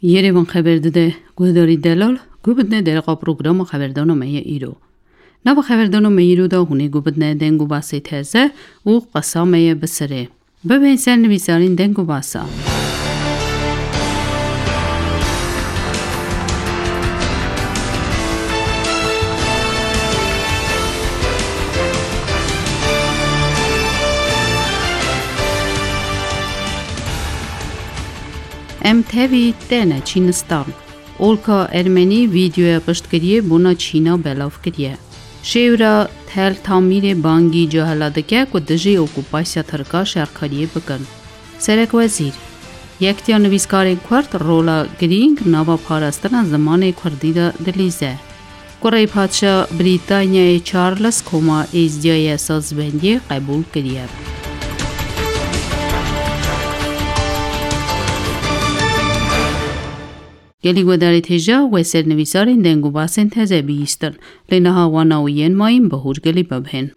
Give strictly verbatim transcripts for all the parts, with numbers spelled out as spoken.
Yerê van xeber dide guhdarî delal, guh bidine dereqa programa xeberdana me ye îro. Nava xeberdana me îro de hûnê guh bidine deng û basê teze û qesa me ye bi sirê. Bibên ser nivîsarên deng û basa. Em tevî têne Çînistan. Olka Ermenî vîdeoya piştgiriyê bona Çîna belav kiriye. Şêwra Tel Tamîrê bangî cahila dike ku dijî okupasya Tirka şerkariyê bikin. Serekwezîr, Yektiya Nivîskarên Kurd rola girîng nava parastina zimanê Kurdî de dilîze. Kurê Padşa Brîtanyayê Charles koma êzdiyayê sazbendiyê qebûl kiriye. Gelî guhdarê têja wê ser nivîsarên deng û basên teze bihîstin, lê niha wana û yên mayîn bi hûrgilî bibihên.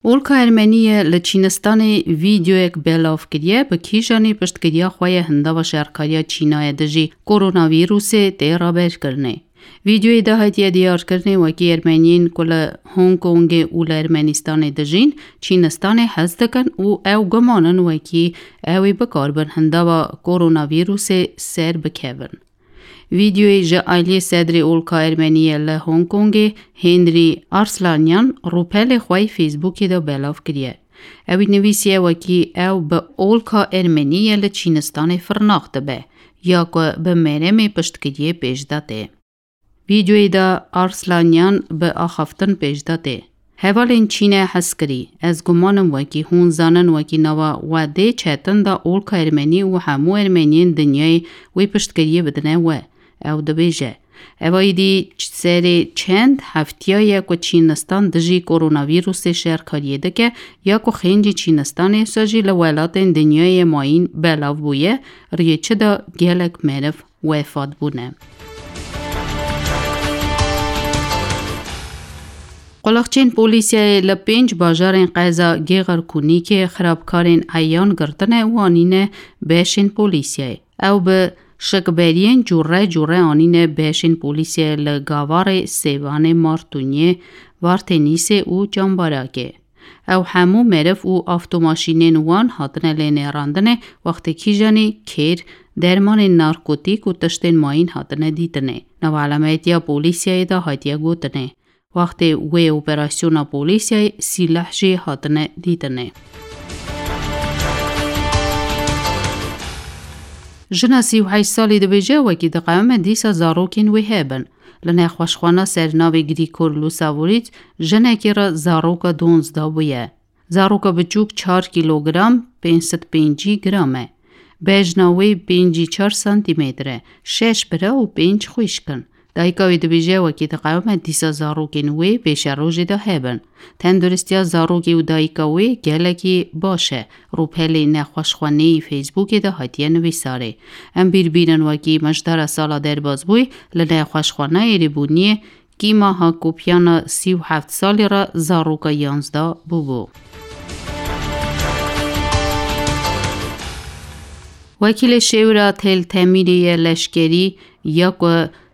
Olka Ermenî ye li Çînistanê vîdeoyek belav kiriye, bi kîjanê piştgiriya xwe ye hindava şerkariya Çînayê dijî koronavîrusê tê raberkirinê. Vîdeoyê de hatiye diyarkirinê wekî Ermeniyên ku li Hong Kongê û li Ermenîstanê dijîn, Çînistanê hez dikin û ew guman in wekî ew ê bikarbin hindava koronavîrusê ser bikevin. Vîdeoyê ji aliyê sedrê olka Ermenî ye li Hong Kongê Henry Arslanyan rûpelê xwe yê Facebookê de belav kiriye. Ew ê nivîsiye wekî ew bi olka Ermenî ye li Çînistanê firnax dibe ya ku bi meremê piştgiriyê pêş de tê. Vîdeoyê de Arslanyan bi axaftin pêş de tê. Hevalên Çînê hez kirî, ez guman im wekî hûn zanin wekî nava we dê çetin de olka Ermenî û hemû Ermeniyên dinyayê wê piştgiriyê bidine we. Ew dibêje, Eva êdî serê çend heftiya ye ku Çînistan dijî koronavîrusê şerkariyê dike, ya ku xêncî Çînistanê wisa jî li welatên dinyayê mayîn belav bûye, riyê çi de gelek meriv wefat bûne. Qulixçên polîsiyayê li pênc bajarên qeza Gêxirkûnîkê xirabkarên eyan girtine û anîne beşên polîsiyayê. Ew bi şikberiyên cûre cûre anîne beşên polîsiyayê li Gavarê, Sêvanê, Martûnyê, Vartênîsê û Cambarakê. Ew hemû meriv û avtomaşînên wan hatine lênêrandinê, wextê kîjanî kêr, dermanên narkotîk û tiştên mayîn hatine dîtinê. Nava elametiya polîsiyayê de hatiye gotinê, wextê wê operasyona polîsiyayê sîleh jî hatine dîtinê. Jina sî û heşt salî dibêje, wekî diqewime dîsa zarokên wê hebin. Li nexweşxwana ser navê Grîgor Lusavoriç jinekê re zaroka donzdeh bûye. Zaroka biçûk çar kîlogram, pênc sed pêncî gram e. Bejna wê pêncî çar santîmetre, şeş bira û pênc xwişk in. Dayika wê dibêje, wekî diqewime dîsa zarokên wê pêşerojê de hebin. Tenduristiya zarokê û dayika wê gelekî baş e. Rûpelê nexweşxwaneyî Facebookê de hatiye nivîsarê. Em bîr bînin wekî mijdara sala derbasbûyî li nexweşxwaneyê rêbûniyê Kîma Hakopyana sî û heft salî re zaroka yanzdeh bûbû. Wekîlê şêwra Tel Temîrê ye leşkerî ya ku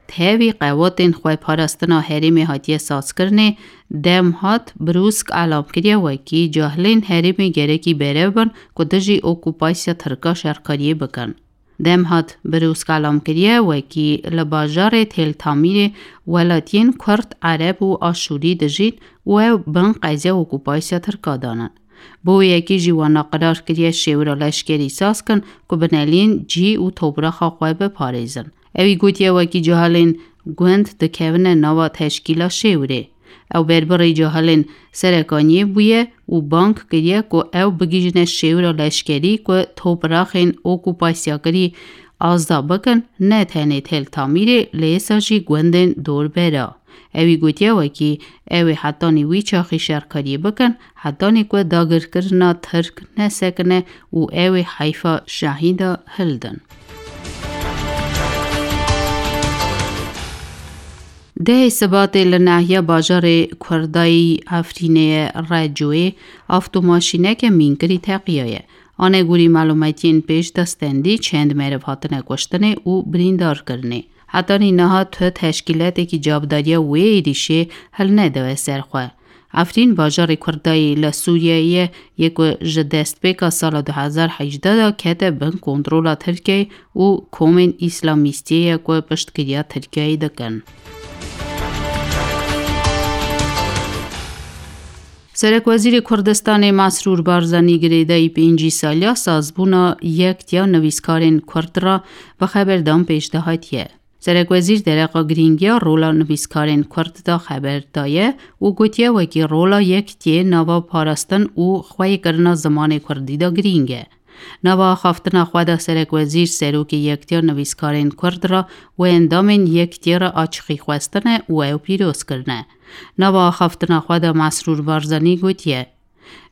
tevî qewatên xweparastina herêmê hatiye sazkirinê, Demhat Brûsk elam kiriye wekî cahilên herêmê gerekî berev bin ku dijî okupasya Tirka şerkariyê bikin. Demhat Brûsk elam kiriye, wekî li bajarê Tel Tamîrê welatiyên Kurd, Ereb û Aşûrî dijîn û ew bin qeza okupasya Tirka danin. Bo wê yekê jî wana qirar kiriye şêwira leşkerî saz kin ku binelîn cî û topraxa xwe biparêzin. Ewî gotiye, wekî cahilên gund dikevine nava teşkîla şêwirê. Ew berbirê cahilên serekaniyê bûye û bang kiriye ku ew bigihîjine şêwira leşkerî ku topraxên okupasyakirî azda bikin, ne tenê Tel Tamîrê, lê êsa jî gundên dorbera. Ewî gotiye, wekî ew ê hetanî wî çaxî şerkariyê bikin, hetanî ku dagirkirina Tirk nesekine û ew ê heyfa şehîda hildin. Dehê Sibatê li nahiya bajarê Kurdayî Efrînê ye Recoyê avtomaşîneke mînkirî teqiyaye. Anegorî malûmetiyên pêş de stendî çend meriv hatine kuştinê û birîndar kirinê. Hetanî niha tu teşkîletekî cavdariya wê êrîşê hilnedaye ser xwe. Efrîn bajarê Kurdayê li Sûriyeyê ye, yê ku ji destpêka sala du hezar hejdeh de kete bin kontrola Tirkiyeyê û komên Îslamîstiyê ye ku piştgiriya Tirkiyeyê dikin. Serekwezîrê Kurdistanê Mesrûr Barzanî girêdayî pêncî saliya sazbûna Yektiya Nivîskarên Kurd re bi xeberdan pêş de hatiye. Serekwezîr dereqa girîngiya rola nivîskarên Kurd de xeber daye û gotiye wekî rola Yektiyê nava parastin û xweyîkirina zimanê Kurdî de girîng e. Nava axaftina xwe de Serekwezîr serokê Yektiya Nivîskarên Kurd re û endamên Yektiyê re açixî xwestine û ew pîroz kirine. Nava axaftina xwe de Mesrûr Barzanî gotiye,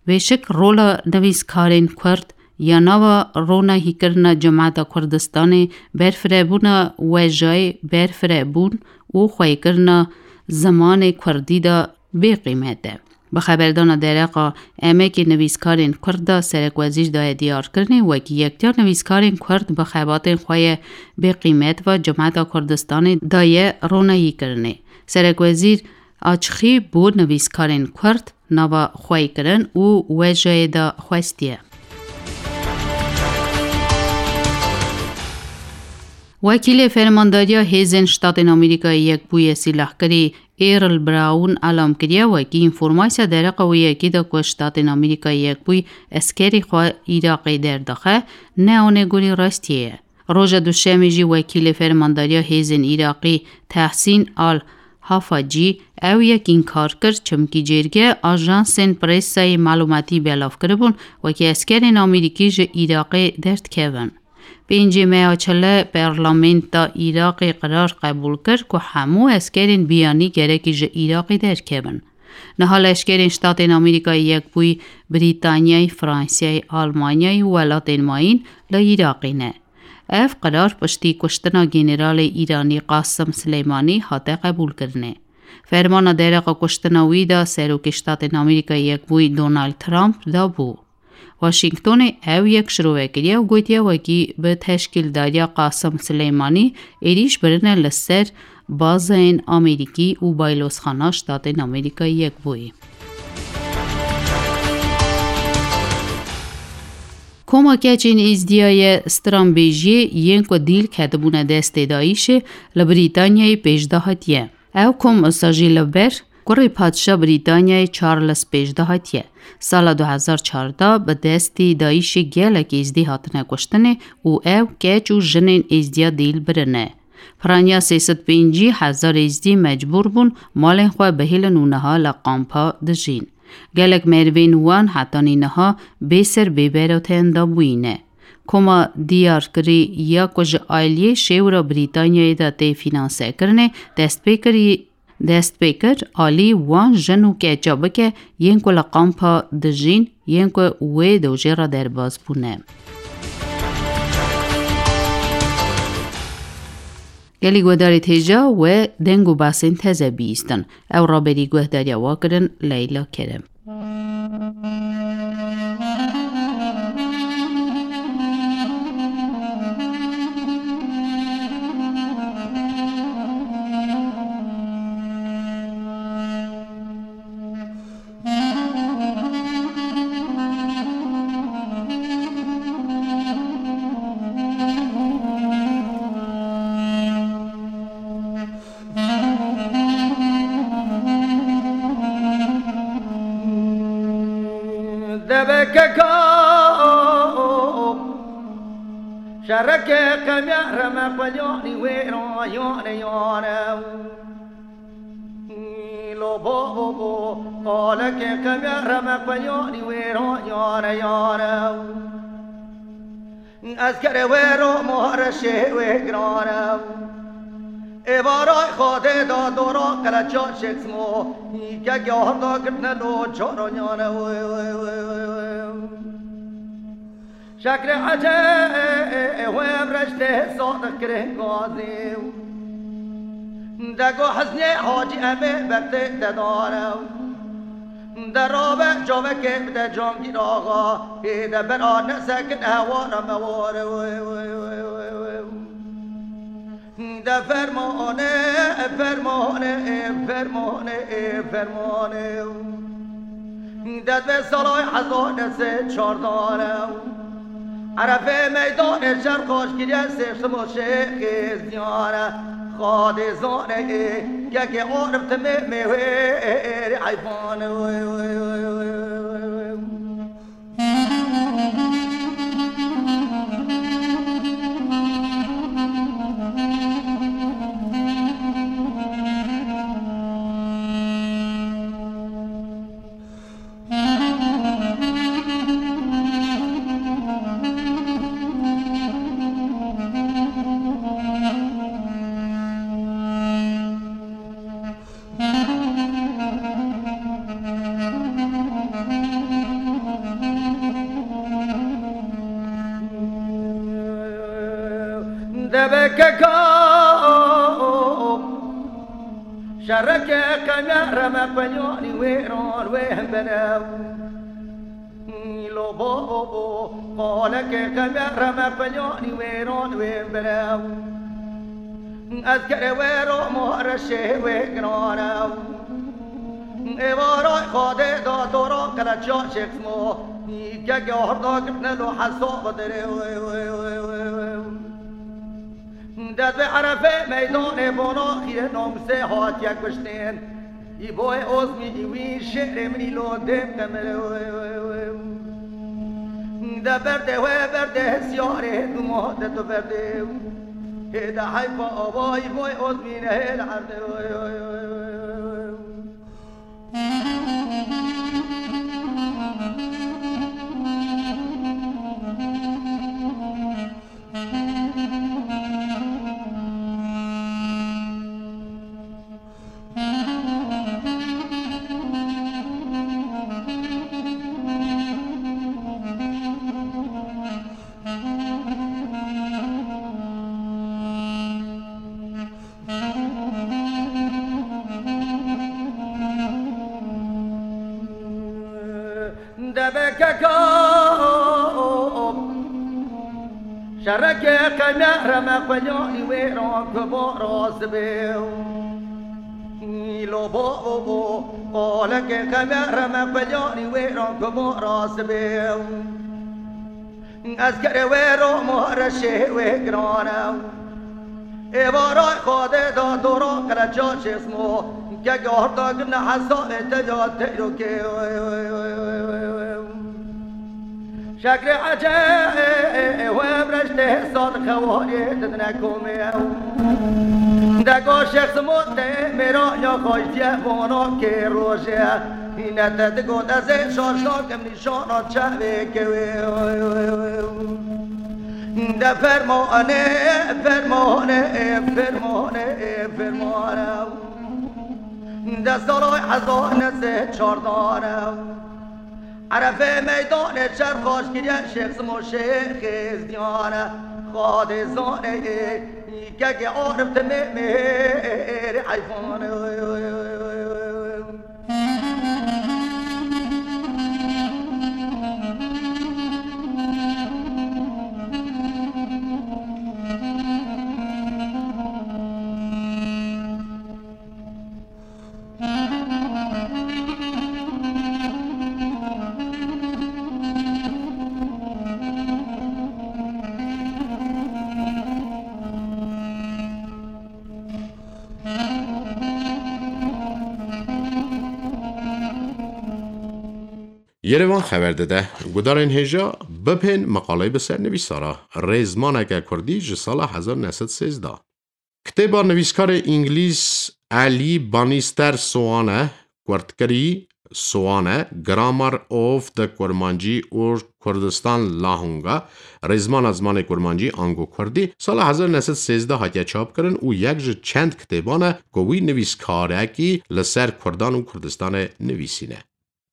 Bêşik rola nivîskarên Kurd ya nava ronahîkirina cemata Kurdistanê, berfirebûna wejayê, berfirebûn û xweyîkirina zimanê Kurdî de bêqîmet e. Bi xeberdana dereqa emekê nivîskarên Kurd de Serekwezîr daye diyarkirinê wekî Yektiya Nivîskarên Kurd bi xebatên xwe ye bêqîmet ve cemata Kurdistanê daye ronahîkirinê. Serekwezîr açixî bo nivîskarên Kurd nava xweyîkirin û wejayê de xwestiye. Wekîlê Fermandariya Hêzên Ştatên Amerîkayê Yekbûyî Sîlahkirî Earl Brown elam kiriye wekî înformasiya dereqa wê yekê de ku Ştatên Amerîkayê Yekbûyî eskerî xwe Iraqê derdixe, ne anegorî rastiyê ye. Roja Duşemê jî wekîlê Fermandariya Hêzên Iraqî Tehsîn Al Hafacî ew yek înkar kir, çimkî cêrge ajansên presayê malûmatî belav kiribûn, wekî eskerên Amerîkî ji Iraqê derdikevin. Pêncê meya çile Parlamenta Iraqê qerar qebûl kir ku hemû eskerên biyanî gerekî ji Iraqê derkevin. Niha leşkerên Ştatên Amerîkayê Yekbûyî, Brîtanyayê, Fransayê, Almanyayê û welatên mayîn li Iraqê ne. Ev qerar piştî kuştina Generalê Îranî Qasim Sileymanî hate qebûlkirinê. Fermana dereqa kuştina wî de Serokê Ştatên Amerîkayê Yekbûyî Donald Trump dabû. Washingtonê ew yek şirove kiriye û gotiye wekî bi teşkîldariya Qasim Sileymanî êrîş birine li ser bazeyên Amerîkî û baylozxana Ştatên Amerîkayê Yekbûyî. Koma keçên Êzdiya ye stranbêjiyê yên ku dîl ketibûne destê DAIŞê li Brîtanyayê pêş de hatiye. Ew kom wisa jî li ber kurê padşa Brîtanyayê Charles pêş de hatiye. Sala du hezar çardeh bi destî DAIŞê gelek Êzdî hatine kuştinê û ew keç û jinên Êzdiya dîl birine. Piraniya sê sed pêncî hezar Êzdî mecbûr bûn malên xwe bihêlin û niha li kampa dijîn. Gelek merivên wan hetanî niha bê ser bê beroteyên dabûyî ne. Koma diyarkirî ya ku ji aliyê şêwra Brîtanyayê de tê fînansekirinê dest pê kirî, dest pê kir alî wan jin û keça bike yên ku li kampa dijîn, yên ku wê dojê re derbas bûne. Gelî guhdarê têja we deng û basên teze bihîstin. Ew raberî guhdariya we kirin Leyla Kerem. Debekeka şereke qemya reme xwelyanî wê ra yane yane. Lo bo bo bo, qaleke qemya reme xwelyanî wê ra yane yane. Ez kere we ro more şê wê girane. Ê varay xade da dora qeleça şeksmo. Ke gahda girtne lo çoro nyane. Şekre ece we reşte sadık kirin gazi. Dego hezne hacı eme berte tedare. De rabe çavekê bide Cangîr Axa, ê de ber a nesekin hewara me ware. De fermane, fermane, fermane, fermane. De divê salay hezar nesê çardane. Erefê meydanê şer xaş kiriye sê simo şêxê ziyane. Xadê zane ê kekê arif timê mêwê êrê eyfane. Deve keka şereke qemya reme qelyanî wê ran wê hemberew. Lo bo qaleke qemya reme qelyanî wê ran wê hemberew. Ez kerê wê ro ma reşê wê girane. Êvara Xadê da dora qeleça şêxmo. Keke horda gitne lo hesab dirê. Dest bi Erefê meydanê bona xîrê namusê hatiye kuştên. Îboyê Ozmî wî şêrê min î lo dêm qemere. De berdê wê berdê hesiyarê duma de tu berdê. Hê de heyfa ava Îboyê Ozmî nehê li erdê. Deve keka şereke qemya reme qelyanî wê ran ku bo rast bê. Îlo bo qaleke qemya reme qelyanî wê ran ku bo rast bê. Ez kerê wê ro ma reşê wê girane. Êvara Xadê da dora qeleça şêsmo. Keke horda gine hesabê te ya teyrokê. Şekrê ece wê breştê sar xewarê didine komê. Dego şêxsmo te mêra ya xaştiye vana kê rojê. Hîne te digot ez ê şaş nakim. Şana çavê kewê. De fermane, fermane, fermane, fermane. De salay hezar nesê çardane. Erefê meydanê şer xaş kiriye şêx Simo şêxê ziyane. Xadê zane, keke arif timê mêrê eyfane. Yerevan xeber dide, gudarên hêja bipên meqaleyê bi ser nivîsara rêzmaneke kurdî ji sala hezar neh sed sêzdeh. Kitêba nivîskarê îngilîz Elî Banîster Soane, kurtkirî Soane, Grammar of the Kurmanji or Kurdistan Lahunga, rêzmana zimanê kurmancî ango kurdî, sala hezar neh sed sêzdeh hatiye çapkirin û yek ji çend kitêban e ku wî nivîskarekî li ser kurdan û Kurdistanê nivîsîne.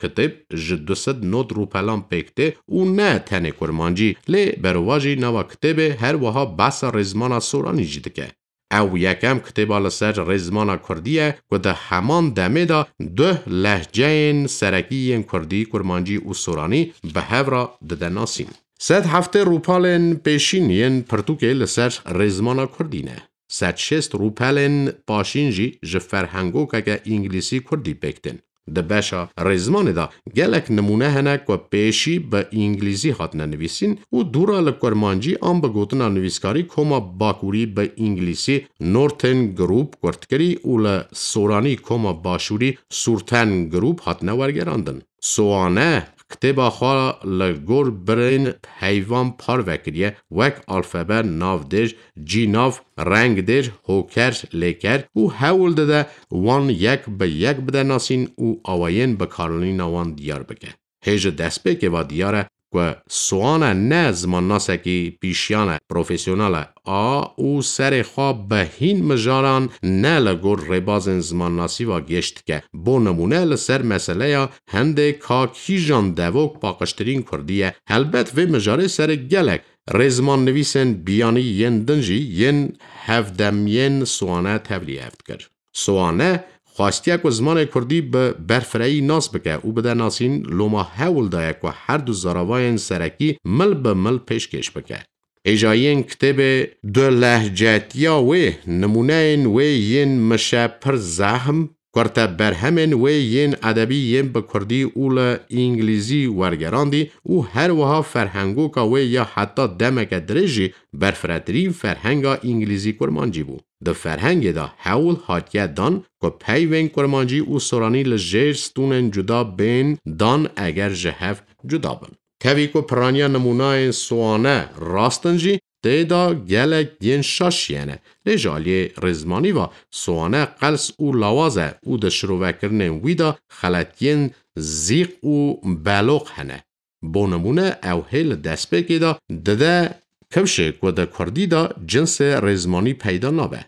Kitêb ji du sed not rûpelan pêk tê û ne tenê kurmancî, lê berovajî nava kitêbê her wiha behsa rêzmana soranî jî dike. Ew yekem kitêba li ser rêzmana kurdî ye ku di heman demê de du lehceyên serekî yên kurdî, kurmancî û soranî bi hev re dide nasîn. Sed heftê rûpelên pêşîn yên pirtûkê li ser rêzmana kurdî ne. Sed şêst rûpelên paşîn jî ji ferhengokeke îngilîzî kurdî pêk tên. Di beşa rêzmanê de gelek nimûne hene ku pêşî bi îngilîzî hatine nivîsîn û dûra li kurmancî an bi gotina nivîskarî koma bakurî bi îngilîzî Northern Group kurtkirî û li soranî koma başûrî Surten Group hatine wergerandin. Soane kitêba xwe li gor birên heyvan parve kiriye, wek alfabe, navdêr, cînav, rengdêr, hoker, lêker û hewl dide wan yek bi yek bide nasîn û awayên bikaranîna wan diyar bike. Hê ji destpêkê ve diyar e ku Soane ne zimannasekî pîşiyan e, profesyonel e, a û serê xwe bi hîn mijaran ne li gor rêbazên zimannasî ve gêş dike. Bo nimûne li ser meseleya hindê ka kîjan devok paqijtirîn kurdî ye. Helbet vê mijarê serê gelek rêzmannivîsên biyanî yên din jî yên hevdemiyên Soane tevlî hev dikir. Soane xwestiye ku zimanê kurdî bi berfirehî nas bike û bide nasîn, loma hewl daye ku her du zaravayên serekî mil bi mil pêşkêş bike. Hêjayiyên kitêbê dulehcetiya wê, nimûneyên wê yên mişe pir zehm, kurte berhemên wê yên edebî yên bi kurdî û li îngilîzî wergerandî û her wiha ferhengoka wê ya heta demeke dirêj jî berfiretirîn ferhenga îngilîzî kurmancî bû. Di ferhengê de hewl hatiye dan ku peyvên kurmancî û soranî li jêr stûnên cuda bên dan eger ji hev cuda bin. Tevî ku piraniya nimûnayên Soane rast in jî, tê de gelek yên şaş hene. Lê ji aliyê rêzmanî ve Soane qels û lawaz e û di şirovekirinên wî de xeletiyên zîq û beloq hene. Bo nimûne, ew hê li destpêkê de dide kifşê ku di kurdî de cinsê rêzmanî peyda nabe.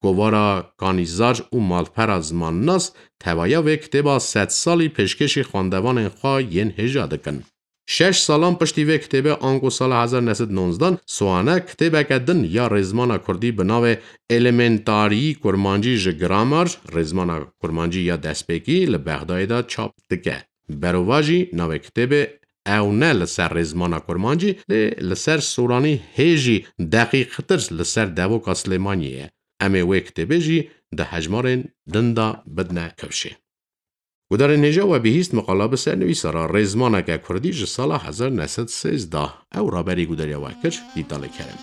Kovara Kanîzar û malpera zimannas tevaya vê kitêba sedsalî pêşkêşî xwendevanên xwe yên hêja dikin. Şeş salan piştî vê kitêbê, ango sala hezar neh sed nonzdan, Soane kitêbeke din ya rêzmana kurdî bi navê Elementarî Kurmancî ji Grammar, rêzmana kurmancî ya destpêkî, li Bexdayê de çap dike. Berovajî navê kitêbê ew ne li ser rêzmana kurmancî, lê li ser soranî hê jî deqîqtir li ser devoka Silêmaniyê ye. Em ê wê kitêbê jî di hejmarên din de bidine kifşê. Gudarên hêja, we bihîst miqala bi sernivîsa re rêzmaneke kurdî ji sala hezar neh sed sêzdeh. Ew raberî gudariya we kir, Dîtalê Kerem.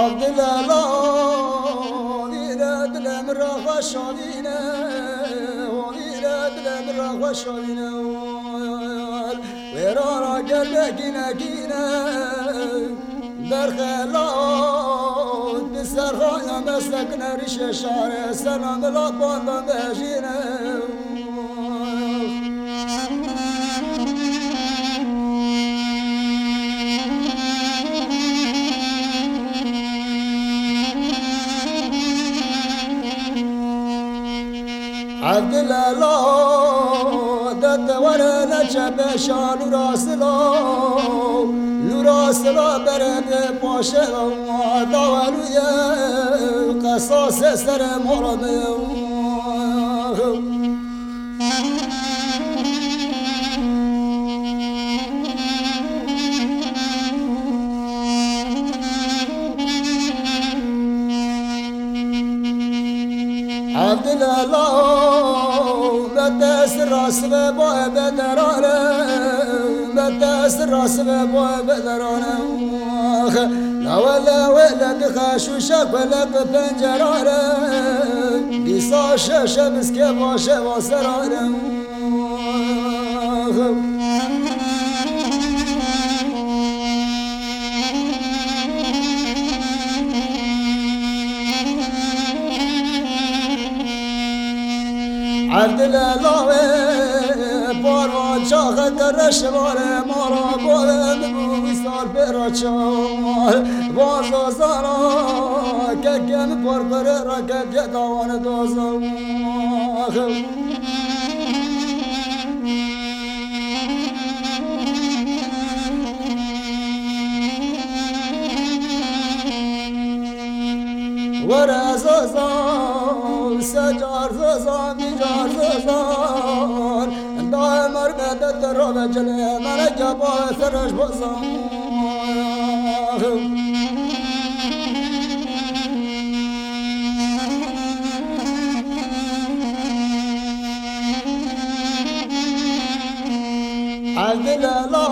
Abdilala, vîre dilê min re xweş avîne, vîre dilê min re xweş avîne. Wêra ra gelekî nekîne, berxelat bi serxana me sekine, rîşê şarê sena mila banda mejîne. Evdilelo, de te were ne çepe şa lûra silo, lûra silo bere de paşe, daweluye qesase sere mora de. Evdilelo, bete sira sibe boye bederare, bete sira sibe boye bederare. Lawele wele dixe şuşe kwele bi pencerare, dîsa şeşe biske baş e serare. Evdile lawê, parva çaxe kere şivare, mara bore mi bu sar pera çar. Vazo zara, keke mi por pere ra keke dawane dozo. Zazan, se car zazan, vî car zazan. Daye mermê de te rave cilê, meleke baye serreş bazan. Evdile la,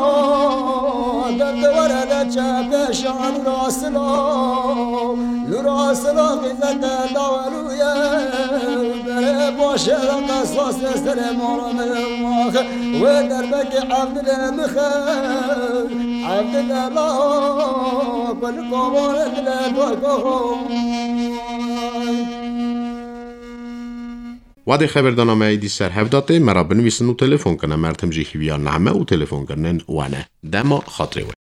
derdê were de çe pêşan rastilo. Nura sila qîzete daweluye, bere başe da qesasê serê mala me maxe. Wê derbekê Evdilê mixe, Evdilê la, kul kovare dile dogo. Wadê xeberdana me êdî ser hev datê, me ra binivîsin û telefon kine. Mertim jî hîviya name û telefonkirinên we ne. Dema xatirê we.